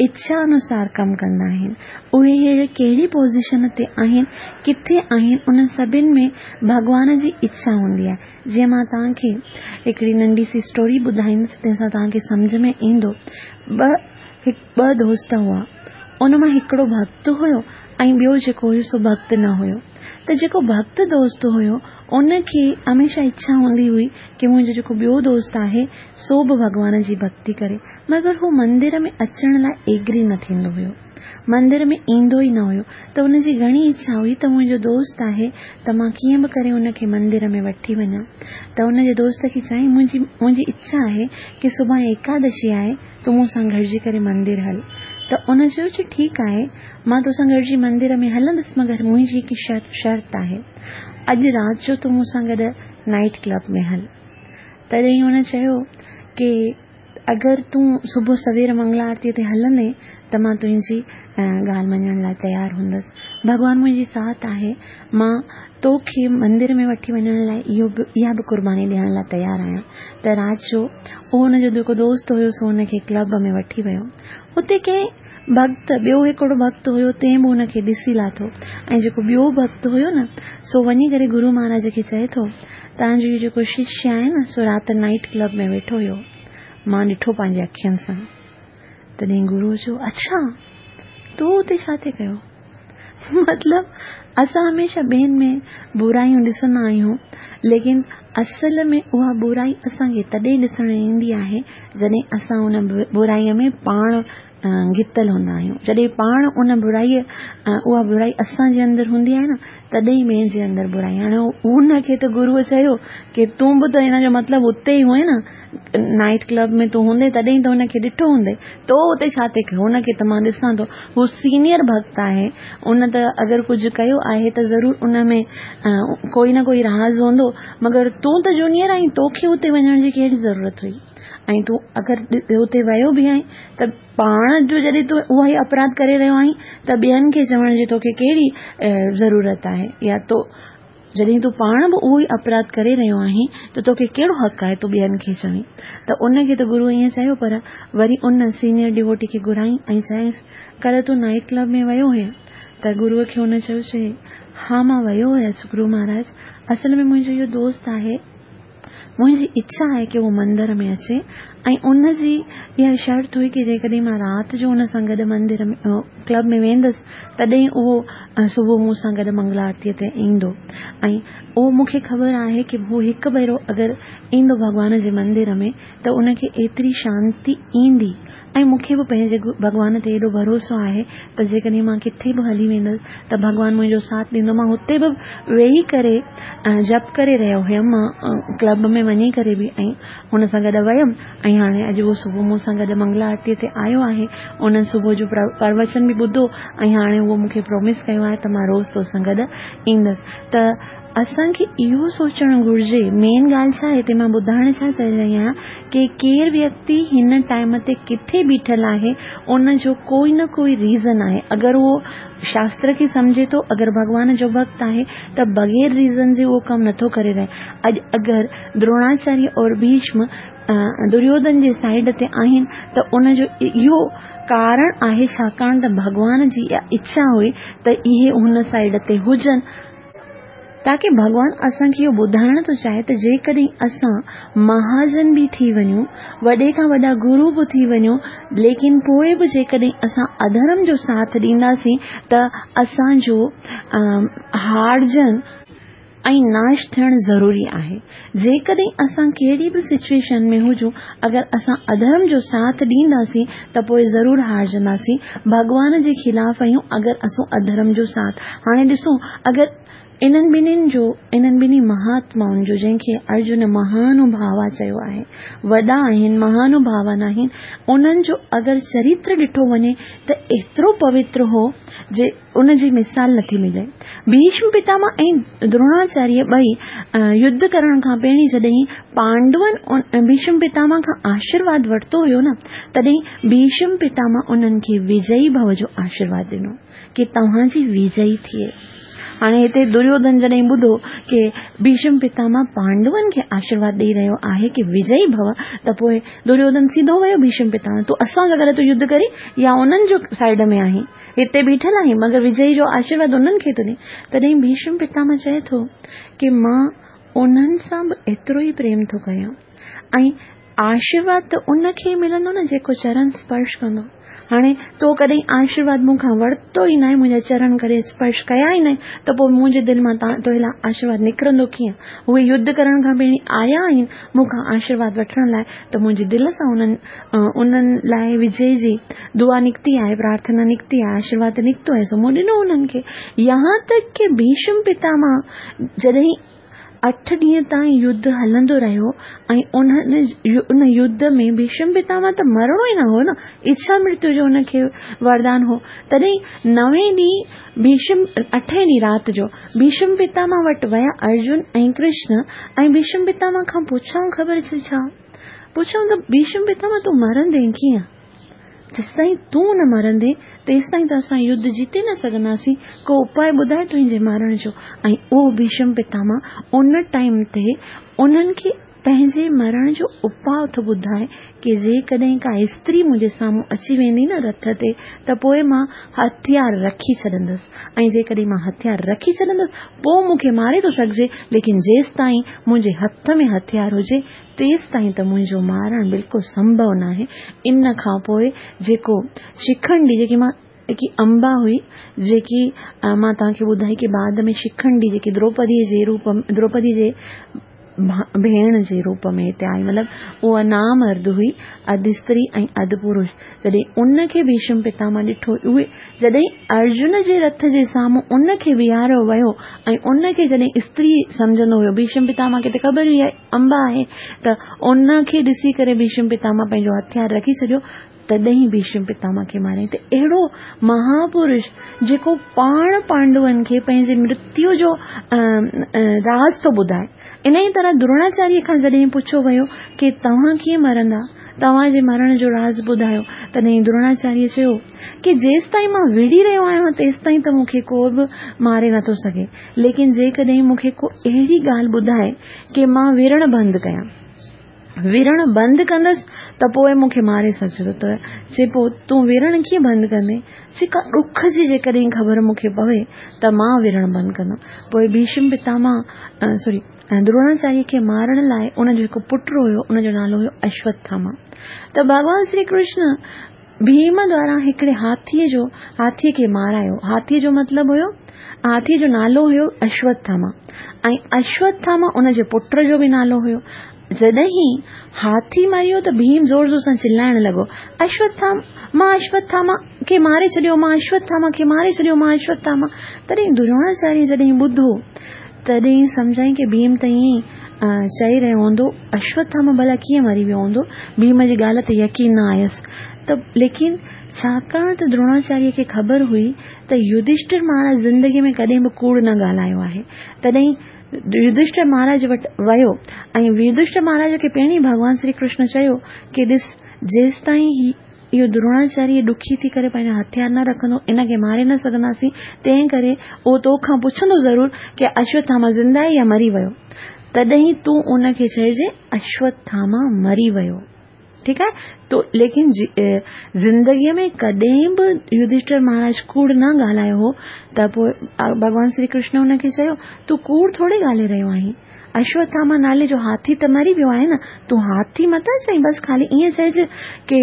اڇا انوسار ڪم ڪندا آهن. اهي هينئر ڪهڙي پوزيشن تي آهن، ڪٿي آهن، انهن سڀن ۾ ڀڳوان جي اڇا هوندي آهي. جيئن مان توهان کي هڪڙي ننڍي سي اسٽوري ٻڌائيندس تنهن سان توهان کي سمجهه ۾ ايندو. ٻه هڪ ٻه دوست هئا. ان مان هڪڙو ڀڳت هيو ۽ ٻيو جيڪو هيو سو ڀڳت نه هيو. ته جيڪو ڀڳت دوست هيو ان کي هميشه اڇا هوندي هئي ڪي منهنجو جيڪو ٻيو دوست آهي سو به ڀڳوان جي ڀڳتي ڪري. مگر هو مندر ۾ اچڻ لاء ايگري نه ٿيندو هيو. مندر ۾ ايندو ئي نه هيو ته ان جي گهڻي اڇا هئي ته منهنجو دوست آهي ته مان ڪيئن به ڪري ان کي مندر ۾ وٺي وڃان ته ان جي دوست کي چيائين منهنجي منهنجي اڇا آهي ڪي سڀاڻي ايڪادشي آهي تون مون سان گڏجي ڪري مندر هل ته ان چيو چي ٺيڪ آهي مان توسان گڏجي مندر ۾ هلندس مگر منهنجي هڪ شرط آهي اڄ رات جو تون مون سان گڏ نائيٽ ڪلب ۾ هل تڏهن هن چيو ڪي اگر تون صبح سوير منگلا آرتيء تي هلندين ته مان تنهنجي ڳالهه مڃڻ لاء تيار هوندس. ڀڳوان منهنجي ساٿ آهي. مان تو کي مندر ۾ وٺي وڃڻ لاء اهو به اها به قرباني ڏيڻ لاء تيار آهيان. ته رات جو اهو هن جو جيڪو دوست هيو سو هن کي ڪلب ۾ وٺي ويو. اتي ڪنهن ڀڳت ٻيو هڪڙو ڀڳت هيو تنهن به هن کي ڏسي لاٿو ۽ جيڪو ٻيو ڀڳت هيو نه سو وڃي ڪري گرو مهاراج کي چئي ٿو توهان جو اهو جيڪو ششيه آهي نه سو رات نائيٽ ڪلب ۾ ويٺو هيو، مان ڏٺو پنهنجي اکين سان. تڏهن گروء چيو، اڇا! تو اتي ڇا ٿي ڪيو؟ مطلب اسان هميشه ٻين ۾ برايون ڏسندا آهيون، ليڪن اصل ۾ اها برائي اسان کي تڏهن ڏسڻ ايندي آهي، جڏهن اسان ان برائيء ۾ پاڻ گتل هوندا آهيون. جڏهن پاڻ ان برائيء اها برائي اسان جي اندر هوندي آهي نه، تڏهن ٻين جي اندر برائي. هاڻي هن کي ته گروء چيو ڪي تون به ته هن جو مطلب اتي ئي هئين نه، نائيٽ ڪلب ۾ تون هوندين تڏهن ته هن کي ڏٺو هوندئي، تو اتي ڇا ٿي ڪيو؟ هن کي ته مان ڏسان ٿو، هو سينيئر ڀڳت آهي، ان ته اگر ڪجهه ڪيو آهي ته ضرور ان ۾ ڪوئي نه ڪوئي راز هوندو، مگر تون ته جونيئر آهين، توکي اتي وڃڻ جي ڪهڙي ضرورت هئي؟ ۽ تون اگر اتي ويو به آهين ته پاڻ جو جڏهن تون اها ئي اپراڌ ڪري رهيو آهين ته ٻين کي چوڻ جي توکي ڪهڙي ضرورت آهي يا تو جڏهن تون پاڻ به اهو ئي اپراڌ ڪري رهيو آهين ته توکي ڪهڙو حق آهي تون ٻين کي چوين ته ان کي ته گرو ائين چيو پر وري ان سينيئر ڊيووٽي کي گهرائين ۽ چيائينس ڪلهه تون نائيٽ ڪلب ۾ ويو هئين ته گروء کي ان چيو چي ها مان ويو هيس گرو مهاراج اصل ۾ منهنجو اهو دوست آهي منهنجي اڇا آهي ڪي هو مندر ۾ اچي ۽ ان جي اها شرط هئي ڪي جيڪڏهن مان رات جو ان سان گڏ مندر ۾ ڪلب ۾ ويندس تڏهن اهو صبح مون سان گڏ منگلا آرتيء تي ايندو ۽ اهو مون کي خبر آهي ڪي هو هڪ ڀيرو اگر ايندو ڀڳوان جي مندر ۾ ته ان کي ايتري شانتي ايندي ۽ مون کي به پنهنجي ڀڳوان تي ايڏو ڀروسو آهي ته جيڪڏهن مان ڪٿي به هلي ويندس ته ڀڳوان منهنجو ساٿ ڏيندو. مان هتي به ويهي ڪري جپ ڪري رهيو هيم. مان ڪلب ۾ وڃي ڪري به ۽ هن سان گڏ ويم ۽ هاڻي اڄ اهو صبح مون سان گڏ منگلا آرتيء تي آيو آهي. ان صبح جو پروچن به ٻڌو ۽ هاڻي اهو مون کي پرومس ڪيو آهي ته مان روز توسان گڏ ايندس ته اسان کي اهو سوچڻ گهرجي، مين ڳالهه ڇا هتي مان ٻڌائڻ ڇا چاهي رهي آهيان ڪي ڪير ويڪتي هن ٽائيم تي ڪٿي بيٺل آهي ان جو ڪوئي نه ڪوئي ريزن آهي اگر اهو شاستر کي سمجهي ٿو اگر ڀڳوان جو ڀڳت آهي ته بغير ريزن جي اهو ڪم نٿو ڪري رهي اڄ اگر دروناچاريه اور ڀيشم دريوڌن جي سائيڊ تي آهن ته ان جو اهو ڪارڻ آهي ڇاڪاڻ ته ڀڳوان جي اها اڇا هئي ته اهي هن سائيڊ تي هجن تاڪه ڀڳوان اسان کي اهو ٻڌائڻ ٿو چاهي ته جيڪڏهن اسان مهاجن به ٿي وڃون، وڏي کان وڏا گرو به ٿي وڃون، ليڪن پوء به جيڪڏهن اسان اڌرم جو ساٿ ڏينداسين ته اسان جو هارجڻ ۽ ناش ٿيڻ ضروري آهي. جيڪڏهن اسان ڪهڙي به سچوئيشن ۾ هجون، اگر اسان اڌرم جو ساٿ ڏينداسين ته پوء ضرور هارجنداسين. ڀڳوان جي خلاف آهيون اگر اسون اڌرم جو ساٿ. هاڻي ڏسو اگر انهن ٻنهين جو، انهن ٻنهي مهاتمائن جو جنهن کي ارجن مهانوڀاوا چيو آهي، وڏا آهن، مهانوڀاون آهن، انهن جو اگر چريتر ڏٺو وڃي ته ايترو پوتر هو جي ان جي مثال نٿي ملي. ڀيشم پتامه ۽ دروناچاريه ٻئي يڌ ڪرڻ کان پهرين جڏهن پانڊون ڀيشم پتامه کان آشيرواد ورتو هيو نه تڏهن ڀيشم پتامه انهن کي وجئي ڀو جو آشيرواد ڏنو ڪي توهان جي وجئي ٿئي. هاڻي هتي دريوڌن جڏهن ٻڌو ڪي ڀيشم پتامه پانڊون کي آشيرواد ڏئي رهيو آهي ڪي وجئي ڀو ته پوء دريوڌن سڌو ويو ڀيشم پتامه تون اسان سان گڏ ٿو يڌ ڪرين يا انهن جو سائيڊ ۾ آهين؟ هتي بيٺل آهين، مگر وجئي جو آشيرواد انهن کي ٿو ڏين. تڏهن ڀيشم پتامه چئي ٿو ڪي مان انهن سان به ايترو ئي پريم ٿو ڪيان ۽ آشيرواد ته ان کي ئي ملندو نه جيڪو چرن سپرش ڪندو. هاڻي تو ڪڏهن آشيرواد مون کان ورتو ئي ناهي، منهنجا چرن ڪڏهن سپرش ڪيا ئي ناهن ته پوء منهنجي دل مان تو لاء آشيرواد نڪرندو ڪيئن؟ اهي يڌ ڪرڻ کان پهرين آيا آهن مون کان آشيرواد وٺڻ لاء ته منهنجي دل سان انهن انهن لاء وجئي جي دعا نڪتي آهي، پرارٿنا نڪتي آهي، آشيرواد نڪتو آهي، سو مون ڏنو انهن کي. يهان تڪ ڪي ڀيشم پتامه جڏهن اٺ ڏينهن تائين يڌ هلندو رهيو ۽ انهن ان يڌ ۾ ڀيشم پتامه ته مرڻو ئي نه هو نه، اڇا مرتيو جو ان کي وردان هو، تڏهن نوين ڏينهن ڀيشم اٺين ڏينهن رات جو ڀيشم پتامه وٽ ويا ارجن ۽ ڪرشن ۽ ڀيشم پتامه کان پڇيائون خبر اٿئي ڇا؟ پڇيائون ته ڀيشم پتامه تون مرندين ڪيئن؟ جيستائين تون نه مرندين تيستائين ته اسان يڌ جيتي نه سگهنداسين، ڪو اپاء ٻڌاء تنهنجي مرڻ جو. ۽ اهو ڀيشم پتامه ان ٽائيم تي انهن کي پنهنجي مرڻ جو اپاء ٿو ٻڌائي ڪي جيڪڏهن ڪا استري منهنجي سامهون اچي ويندي نه رٿ تي ته پوء مان هٿيار رکي ڇڏندس ۽ جيڪڏهن مان هٿيار رکي ڇڏندس پوء مون کي ماري ٿو سگهجي ليڪن جيستائين منهنجي هٿ ۾ هٿيار هجي تيستائين ته منهنجو مارڻ بلڪل سنڀو ناهي. ان کان پوء جيڪو شکنڊي جيڪي مان جيڪي امبا هئي جيڪي مان توهان کي ٻڌائي ڪي بعد ۾ شکنڊي جيڪي دروپدي جي روپ دروپدي جي ڀيڻ جي روپ ۾ هتي آئي مطلب اها نامرد هئي اڌ استري ۽ اڌ پرش جڏهن ان کي ڀيشم پتامه ڏٺو اهي جڏهن ارجن جي رٿ جي سامهون ان کي بيهاريو ويو ۽ ان کي جڏهن استري سمجهندو هيو ڀيشم پتامه کي ته خبر هئي امبا آهي ته ان کي ڏسي ڪري ڀيشم پتامه پنهنجو هٿيار رکي ڇڏيو تڏهن ڀيشم پتامه کي ماريائين ته اهڙو مهاپرش جيڪو پاڻ پانڊون کي پنهنجي مرتيو جو راز ٿو ٻڌائي. انهيء طرح دروناچاريه کان جڏهن پڇيو ويو ڪي توهان ڪيئن مرندا؟ توهان جي مرڻ جو راز ٻڌايو. تڏهن دروناچاريه چيو ڪي جيستائين مان وڙهي رهيو آهيان تيستائين ته مون کي ڪو به ماري نٿو سگهي ليڪن جيڪڏهن مون کي ڪو اهڙي ڳالهه ٻڌائي ڪي مان وڙهڻ بند ڪيان. وڙهڻ بند ڪندس ته پوء مون کي ماري سگهجي ٿو ته چي پوء تون وڙهڻ ڪيئن بند ڪندين؟ چي ڪا ڏک جي جيڪڏهن خبر مون کي پوي ته مان وڙهڻ بند ڪندم. پوء ڀيشم پتامه سوري دروناچاريه کي مارڻ لاء ان جو هڪ پٽ هيو ان جو نالو هيو اشوٿاما ته ڀڳوان شري ڪرشن ڀيم دوارا هڪڙي هاٿيء جو هاٿيء کي مارايو. هاٿيء جو مطلب هيو هاٿيء جو نالو هيو اشوٿاما ۽ اشوٿاما ان جي پٽ جو به نالو هيو. جڏهن هاٿي مريو ته ڀيم زور زور سان چلائڻ لڳو، اشوٿاما مان اشوٿاما کي ماري ڇڏيو، مان اشوٿاما کي ماري ڇڏيو، مان اشوٿاما. تڏهن دروناچاريه جڏهن ٻڌو تڏهن سمجهيائين ڪي ڀيم ته ائين ئي چئي رهيو هوندو، اشوٿاما ڀلا ڪيئن مري ويو هوندو؟ ڀيم جي ڳالهه تي يقين نه آيس ته ليڪن ڇاڪاڻ ته دروناچاريه کي خبر هئي ته يڌشٽر مهاراج زندگيء ۾ ڪڏهن به ڪوڙ نه ڳالهايو آهي، تڏهن. يڌشٺر مهاراج وٽ ويو ۽ يڌشٺر مهاراج کي پهرين ڀڳوان شري ڪرشن چيو ڪي ڏس جيستائين هي اهو دروناچاريه ڏکي ٿي ڪري پنهنجا هٿيار نه رکندو ان کي ماري نه سگهنداسين تنهن ڪري اهو تو کان پڇندو ضرور ڪي اشوٿاما زنده آهي يا مري ويو تڏهن تون ان کي چئجي اشوٿاما مري ويو ٺيڪ آهي تو ليڪن زندگيء ۾ ڪڏهن به يڌشٺر مهاراج ڪوڙ نه ڳالهايو هو ته پوء ڀڳوان شري ڪرشن هن کي چيو تون ڪوڙ ٿوري ڳالهائي رهيو آهين اشوٿاما نالي جو هاٿي ته مري ويو آهي نه تون هاٿي متان چئين بس خالي ائين چئج ڪي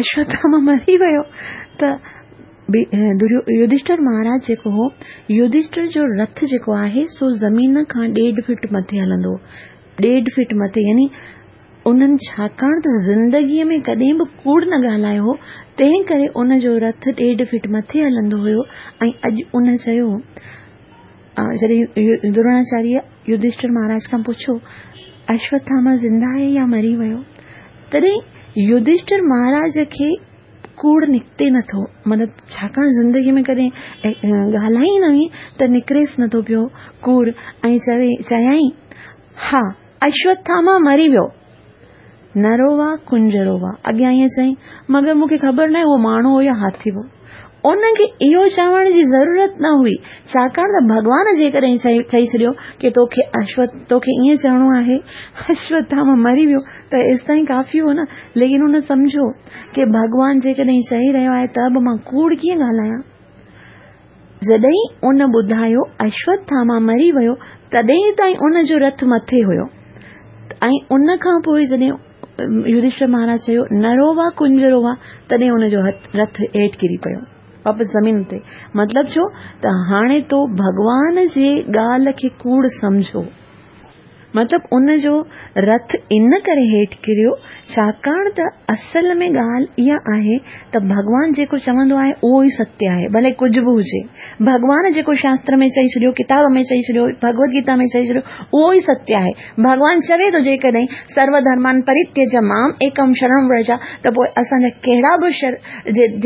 اشوٿاما مري ويو ته يڌشٺر مهاراج جيڪو هو يڌشٺر جو رٿ جيڪو آهي سو زمين کان ڏيڍ فٽ مٿي هلندو هو ڏيڍ فٽ مٿي يعني انهن ڇاڪاڻ ته زندگيء ۾ ڪڏهن به ڪوڙ نه ڳالهايو هو، تنهن ڪري ان جو رٿ ڏيڍ فٽ مٿي هلندو هيو ۽ اڄ ان چيو، جڏهن دروناچاريه يڌشٺر مهاراج کان پڇيو، اشوٿاما زنده آهي يا مري ويو؟ تڏهن يڌشٺر مهاراج کي ڪوڙ نڪتي نٿو، مطلب ڇاڪاڻ زندگيء ۾ ڪڏهن ڳالهائي ئي نه هئي ته نڪريس نٿو پيو ڪوڙ ۽ چوي چيائين، ها! اشوٿاما مري ويو. نرو وا ڪنجرو وا. اڳيان ائين چيائين، مگر مون کي خبر ناهي اهو ماڻهو هو يا هاٿي هو. ان کي اهو چوڻ جي ضرورت نه هئي، ڇاڪاڻ ته ڀڳوان جيڪڏهن چئي ڇڏيو ڪي توکي اشوٿ توکي ائين چوڻو آهي، اشوٿاما مري ويو ته ايستائين ڪافي هو نه. ليڪن هن سمجهيو ڪي ڀڳوان جيڪڏهن چئي رهيو آهي ته به مان ڪوڙ ڪيئن ڳالهايان. جڏهن ان ٻڌايو اشوٿاما مري ويو تڏهن تائين ان جو رٿ مٿي هيو ۽ ان کان پوء جڏهن يڌشٺر مهاراج چيو نرو وا ڪنجرو وا تڏهن ان جو رٿ هيٺ ڪري پيو واپس زمين تي مطلب ڇو ته هاڻي تو ڀڳوان جي ڳالهه کي ڪوڙ سمجهو مطلب ان جو رٿ ان ڪري هيٺ ڪريو ڇاڪاڻ ته اصل ۾ ڳالهه اها آهي ته ڀڳوان جيڪو چوندو آهي اهو ئي ستيه آهي ڀلي ڪجهه به هجي. ڀڳوان جيڪو شاستر ۾ چئي ڇڏيو، ڪتاب ۾ چئي ڇڏيو، ڀڳوت گيتا ۾ چئي ڇڏيو اهو ئي ستيه آهي. ڀڳوان چوي ٿو جيڪڏهن سرو ڌرمان پريتيج مام ايڪم شرڻم ورجا ته پوء اسان جا ڪهڙا به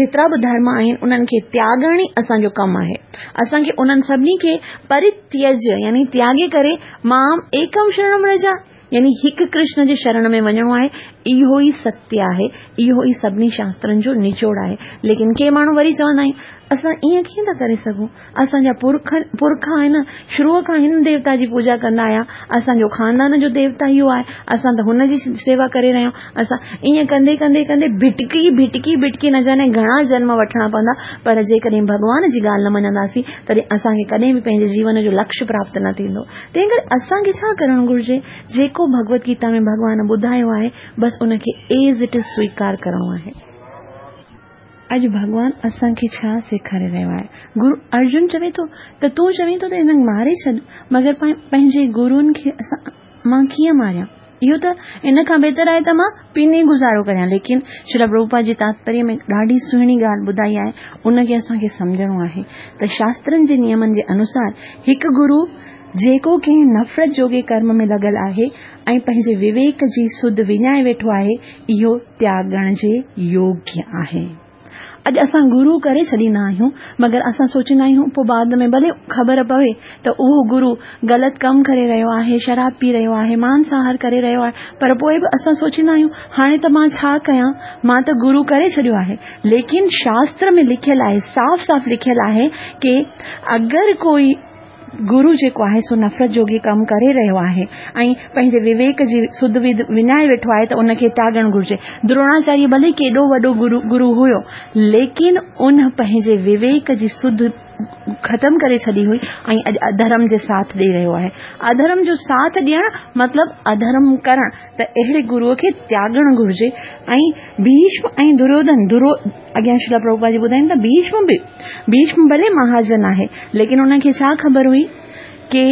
جيترا به ڌرم آهن انهن کي تياڳڻ ئي اسان جو ڪم آهي. اسان کي انهن سڀني کي پريتيج يعني تياڳي ڪري مام ايڪم شرڻم رجا يعني هڪ ڪرشن جي شرڻ ۾ وڃڻو آهي اهو ئي ستيه آهي اهو ئي سڀني شاسترن جو نچوڙ آهي ليڪن ڪي ماڻهو وري چوندا آهن اسان ائين ڪيئن ٿا ڪري سگهون اسان جا پرک پرک آهن شروع کان هن ديوتا جي پوڄا ڪندا آيا اسان جو خاندان جو ديوتا اهو آهي اسان ته هن جي سيوا ڪري رهيا آهيون اسان ائين ڪندي ڪندي ڪندي ڀٽڪي ڀٽڪي ڀٽڪي نه جاني گهڻا جنم وٺڻا پوندا پر جيڪڏهن ڀڳوان جي ڳالهه نه مڃنداسين تڏهن اسان کي ڪڏهن به پنهنجي جيون جو لڪش پراپت نه ٿيندو. تنهن ڪري اسان کي ڇا ڪرڻ گهرجي؟ جيڪو ڀڳوت گيتا ۾ ڀڳوان ٻڌايو آهي، بس ان کي ايز it is سويڪار ڪرڻو آهي. اڄ ڀڳوان اسان کي ڇا سيکاري رهيو آهي؟ گرو ارجن چوي ٿو ته تون چوين ٿو ته هنن کي ماري ڇڏ، مگر پنهنجي گروئن کي اسان مان ڪيئن ماريان؟ اهو ته ان کان بهتر آهي ته مان پيني گذارو ڪريان. ليڪن شريل پرڀوپاد جي تاتپريه ۾ ڏاڍي سهڻي ڳالهه ٻڌائي آهي، ان کي اسان کي سمجهڻو آهي ته شاسترن جي نيمن جي انوسار هڪ گرو جيڪو ڪنهن نفرت جوڳي ڪرم ۾ لڳل آهي ۽ پنهنجي وويڪ جي سڌ وڃائي ويٺو آهي، اهو تياڳڻ جي يوگيه آهي. اڄ اسان گرو ڪري ڇڏيندا آهيون مگر اسان سوچيندا آهيون پوء بعد ۾ ڀلي خبر پوي ته اهو گرو غلط ڪم ڪري رهيو آهي شراب پي رهيو آهي مانس آهار ڪري رهيو آهي پر پوء به اسان سوچيندا آهيون هاڻي ته مان ڇا ڪيان مان ته گرو ڪري ڇڏيو آهي ليڪن شاستر ۾ لکيل آهي صاف صاف لکيل آهي ڪي اگر ڪوئي گرو جيڪو آهي سو نفرت جوڳي ڪم ڪري رهيو آهي ۽ پنهنجي وويڪ جي سڌ وڌ وڃائي ويٺو آهي ته ان کي تياڳڻ گهرجي. دروناچاريه ڀلي ڪيڏو وڏو گرو هيو ليڪن ان پنهنجي وويڪ جي سڌ ختم ڪري ڇڏي هئي ۽ اڄ اڌرم جي ساٿ ڏئي رهيو آهي. اڌرم جو ساٿ ڏيڻ مطلب اڌرم ڪرڻ ته اهڙي گروء کي تياڳڻ گهرجي ۽ ڀيشم ۽ دريوڌن درو اڳيان شريل پرڀوپاد جي ٻڌائين ته ڀيشم به ڀيشم ڀلي مهاجن آهي ليڪن ان کي ڇا خبر هئي ڪي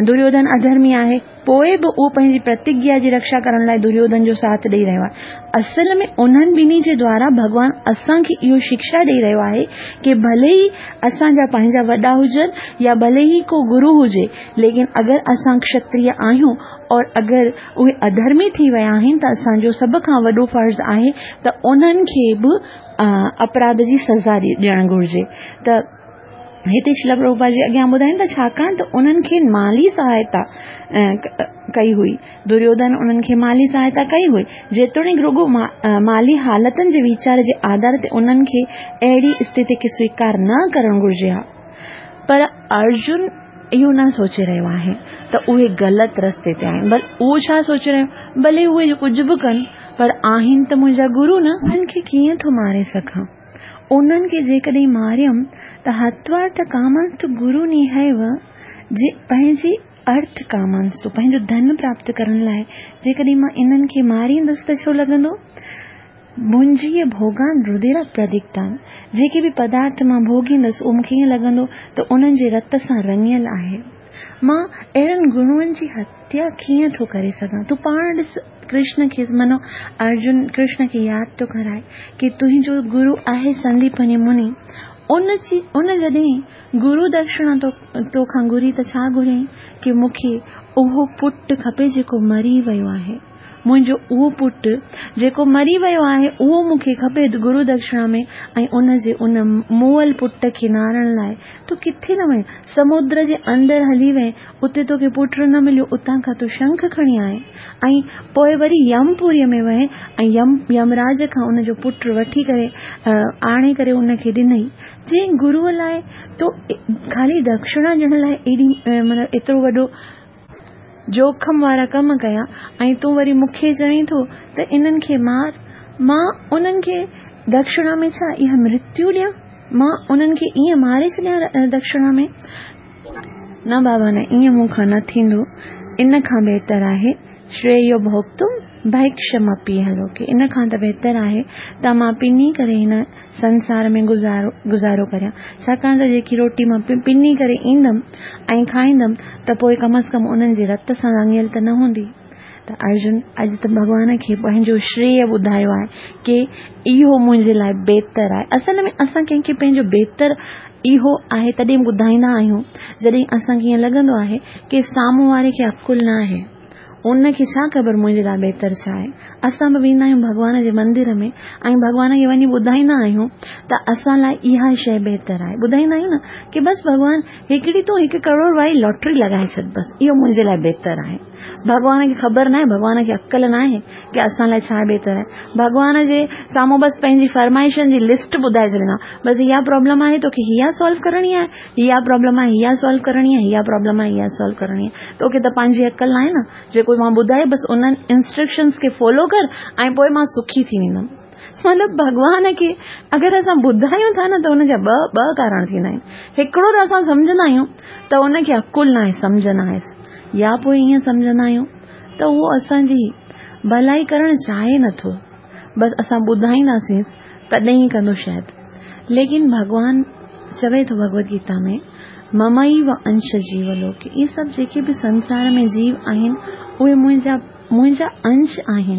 دريوڌن اڌرمي آهي پوء به اهو پنهنجي پرتگيا جي رڪشا ڪرڻ لاء دريوڌن جو ساٿ ڏئي رهيو آهي اصل ۾ انهن ٻنهي جي دوارا ڀڳوان اسان کي اهو شڪشا ڏئي رهيو آهي ڪي ڀلي ئي اسان جا پنهنجا وڏا هجن يا ڀلي ئي ڪو گرو هجي ليڪن اگر اسان ڪشتريه آهيون اور اگر اهي اڌرمي ٿي ويا آهن ته اسان جو سڀ کان وڏو فرض آهي ته انهن کي به اپراڌ جي سزا ڏيڻ گهرجي ته هتي شريلا پرڀوپاد جي اڳيان ٻڌائين ٿا ڇاڪاڻ ته انهن کي مالي سهائتا ڪئي هئي. دريوڌن انهن کي مالي سهائتا ڪئي هئي. جيتوڻيڪ رڳو مالي حالتن جي ويچار جي آڌار تي انهن کي اهڙي استٿي کي سويڪار نه ڪرڻ گهرجي ها. پر ارجن اهو نه سوچي رهيو آهي ته اهي غلط رستي تي آهن. بل اهو ڇا سوچي رهيو ڀلي اهي ڪجهه به ڪن پر آهن ته منهنجا گرو نه. انهن کي ڪيئن ٿو ماري سگهان. انهن کي جيڪڏهن ماريم ته هتوارٿ ڪامانستو گرو نيهيو جي پنهنجي ارٿ ڪامانستو پنهنجو ڌن پراپت ڪرڻ لاء جيڪڏهن مان انهن کي ماريندس ته ڇو لڳندو؟ ڀنجيء ڀوڳان رديرا پرديپتان جيڪي به پدارٿ مان ڀوڳيندس اهو مون کي ائين لڳندو ته انهن جي رت سان رڱيل آهي. مان اهڙن گرون جي هتيا ڪيئن ٿو ڪري سگهان؟ تون پاڻ ڏس ڪرشن کي منو ارجن ڪرشن کي ياد ٿو ڪرائي ڪي تنهنجو گرو آهي سنديپني مني ان جي ان جڏهن گرو دڪشڻا تو توکان گهري ته ڇا گهريائين ڪي مون کي اهو پٽ کپي جيڪو مري ويو آهي. منهنجو اهو پٽ جيڪو مري ويو آهي اهو مون کي کپي گرو دڪشڻا ۾ ۽ ان جي ان مئل پٽ کي نارڻ لاء تون ڪٿي نه وئين سمندر جي اندر هلي وئين اتي توکي پٽ نه مليو اتان کان تون شنک کڻي آئين ۽ پوء وري يمپوريء ۾ وئين ۽ يم يمراج کان ان جو پٽ وٺي ڪري آڻي ڪري ان کي ڏنئي جنهن گروء لاء تو خالي دڪشڻا ڏيڻ لاء ايڏي مطلب ايترو وڏو جوکم وارا ڪم ڪيا ۽ تون وري مون کي چوين ٿو ته انهن کي مار. مان انهن کي دڪشڻا ۾ ڇا اها مرتيو ڏيان؟ مان انهن کي ائين ماري ڇڏيان دڪشڻا ۾؟ نه بابا نه، ائين مون کان نه ٿيندو. ان کان بهتر آهي شريو ڀوڳتم ڀيڪشمپيهه لوڪي. ان کان ته بهتر آهي ته مان پني ڪري هن سنسار ۾ گذارو گذارو ڪريان، ڇاڪاڻ ته جيڪي روٽي مان پني ڪري ايندم ۽ کائيندم ته پوء ڪم از ڪم انهن جي رت سان رڱيل ته نه هوندي. ته ارجن اڄ ته ڀڳوان کي پنهنجو شريه ٻڌايو آهي ڪي اهو منهنجي لاء بهتر آهي. اصل ۾ اسان ڪنهن کي پنهنجو بهتر اهو آهي تڏهن ٻڌائيندا آهيون جڏهن اسان کي ائين لڳندو آهي ڪي سامهون واري کي عقل نه آهي. ان کي ڇا خبر منهنجي لاء بهتر ڇا آهي. اسان به ويندا آهيون ڀڳوان جي مندر ۾ ۽ ڀڳوان کي وڃي ٻڌائيندا آهيون ته اسان لاء اها شيء بهتر آهي. ٻڌائيندا آهيون نه ڪي بس ڀڳوان هڪڙي تون هڪ ڪروڙ واري لاٽري لڳائي ڇڏ بس اهو منهنجي لاء بهتر آهي. ڀڳوان کي خبر ناهي، ڀڳوان کي عقل ناهي ڪي اسان لاء ڇا بهتر آهي. ڀڳوان جي سامهون بس پنهنجي فرمائشن جي لسٽ ٻڌائي ڇڏيندا بس اها پرابلم آهي توکي اها سالو ڪرڻي آهي. اها پرابلم آهي اها سالو ڪرڻي آهي اها پرابلم آهي اها سالو ڪرڻي آهي توکي ته پنهنجي عقل ناهي نه جيڪو مان ٻڌائي بس انهن انسٽرڪشنس کي فالو ڪر ۽ پوء مان سکي ٿي ويندم مطلب ڀڳوان کي اگر اسان ٻڌايون ٿا نه ته ان جا ٻه ٻه ڪارڻ ٿيندا آهن هڪڙو ته اسان سمجهندا آهيون ته ان کي عقل ناهي سمجهه ناهيس يا پوء ائين سمجهندا آهيون ته اهو اسان جي ڀلائي ڪرڻ چاهي نٿو بس اسان ٻڌائينداسينس تڏهن ئي ڪندو شايد. ليڪن ڀڳوان چوي ٿو ڀڳوت گيتا ۾ ممئيو انش جيو لوڪي اهي سڀ جيڪي به سنسار ۾ جيو آهن اهي منهنجا منهنجا انش آهن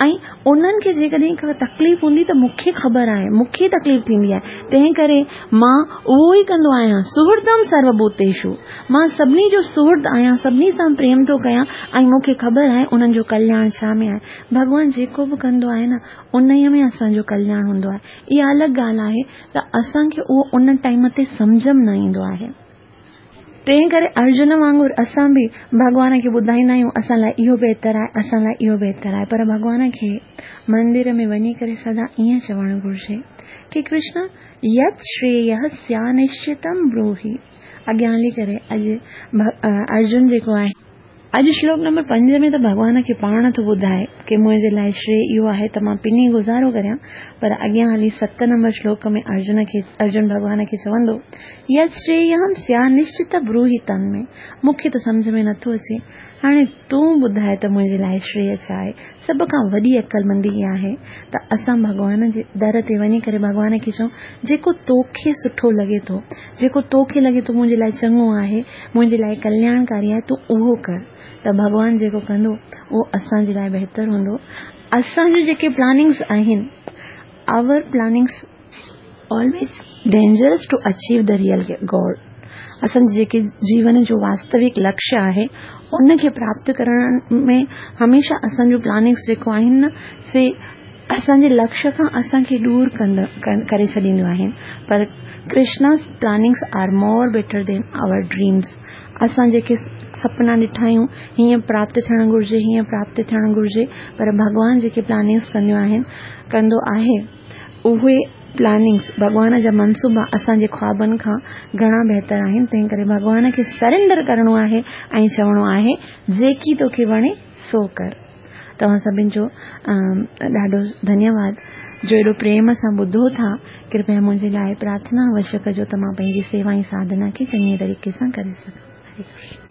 ۽ انهن کي جيڪڏهن ڪا تڪليف هوندي ته مون کي خبر آهي مون کي تڪليف ٿيندي آهي تنهن ڪري مان اهو ئي ڪندو آهيان سهردم سروڀوتيشو مان سڀني جو سهرد آهيان سڀني سان پريم ٿو ڪيان ۽ مون کي خبر آهي انهن جو ڪلياڻ ڇا ۾ آهي ڀڳوان جيڪو به ڪندو آهي نه انهيء ۾ اسان جو ڪلياڻ هوندو آهي. اها الڳ ڳالهه آهي ته اسان کي اهو ان ٽائيم تي سمجهه ۾ نه ايندو آهي. تنهن ڪري ارجن وانگر اسان به ڀڳوان کي ٻڌائيندا آهيون اسان لاء اهو بهتر آهي، اسان لاء اهو بهتر آهي پر ڀڳوان کي مندر ۾ وڃي ڪري سدا ائين چوڻ گهرجي ڪي ڪرشن يت شرييه سيانشچتم بروهي اڳيان هلي ڪري اڄ ارجن جيڪو آهي. اڄ شلوڪ نمبر 5 ۾ ته ڀڳوان کي پاڻ ٿو ٻڌائي ڪي منهنجي لاء شري اهو آهي ته مان پني گذارو ڪريان پر اڳيان هلي 7 نمبر شلوڪ ۾ ارجن کي ارجن ڀڳوان کي چوندو يت شرييهم سيا نشچت بروهي تن ۾ مون کي ته سمجهه ۾ نٿو اچي هاڻي تون ٻڌاء ته منهنجي لاء شري ڇا آهي سڀ کان وڏي عقلمندي اها آهي ته اسان ڀڳوان جي در تي وڃي ڪري ڀڳوان کي چئون جيڪو توکي سٺو لڳي ٿو، جيڪو توکي لڳي ٿو منهنجي لاء چڱو آهي، منهنجي لاء ڪلياڻڪاري آهي تون اهو ڪر ته ڀڳوان جيڪو ڪندو اهو اسان جي لاء بهتر هوندو. اسان جون جيڪي پلاننگس آهن Our plannings always dangerous to achieve the real goal اسان جي جيڪي جيون جو واستوڪ لڪشيه آهي ان کي پراپت ڪرڻ ۾ هميشه اسان جون پلاننگس جيڪو آهن نه سي اسان جي لڪشيه کان اسان کي ڏور ڪري ڇڏينديون آهن پر Krishna's plannings are more better than our dreams اسان جيڪي سپنا ڏٺا آهيون هيئن پراپت ٿيڻ گهرجي هيئن پراپت ٿيڻ گهرجي پر ڀڳوان جيڪي پلاننگس ڪنديون آهن ڪندو آهي اهي پلاننگس ڀڳوان جا منصوبا اسان جي خوابن کان گهڻا بهتر آهن تنهن ڪري ڀڳوان کي سرينڊر ڪرڻو آهي ۽ چوڻو آهي جيڪي توکي وڻي سو ڪر. توهان سڀن جو ڏاڍو ڌنيواد جو ايڏو پريم سان ٻڌو ٿا. ڪرپيا منهنجي لاء پرارٿنا اوشيه ڪجو ته مان پنهنجي سيوا ۽ ساڌنا کي چڱي طريقي سان ڪري سگهان. هري ڪرشن.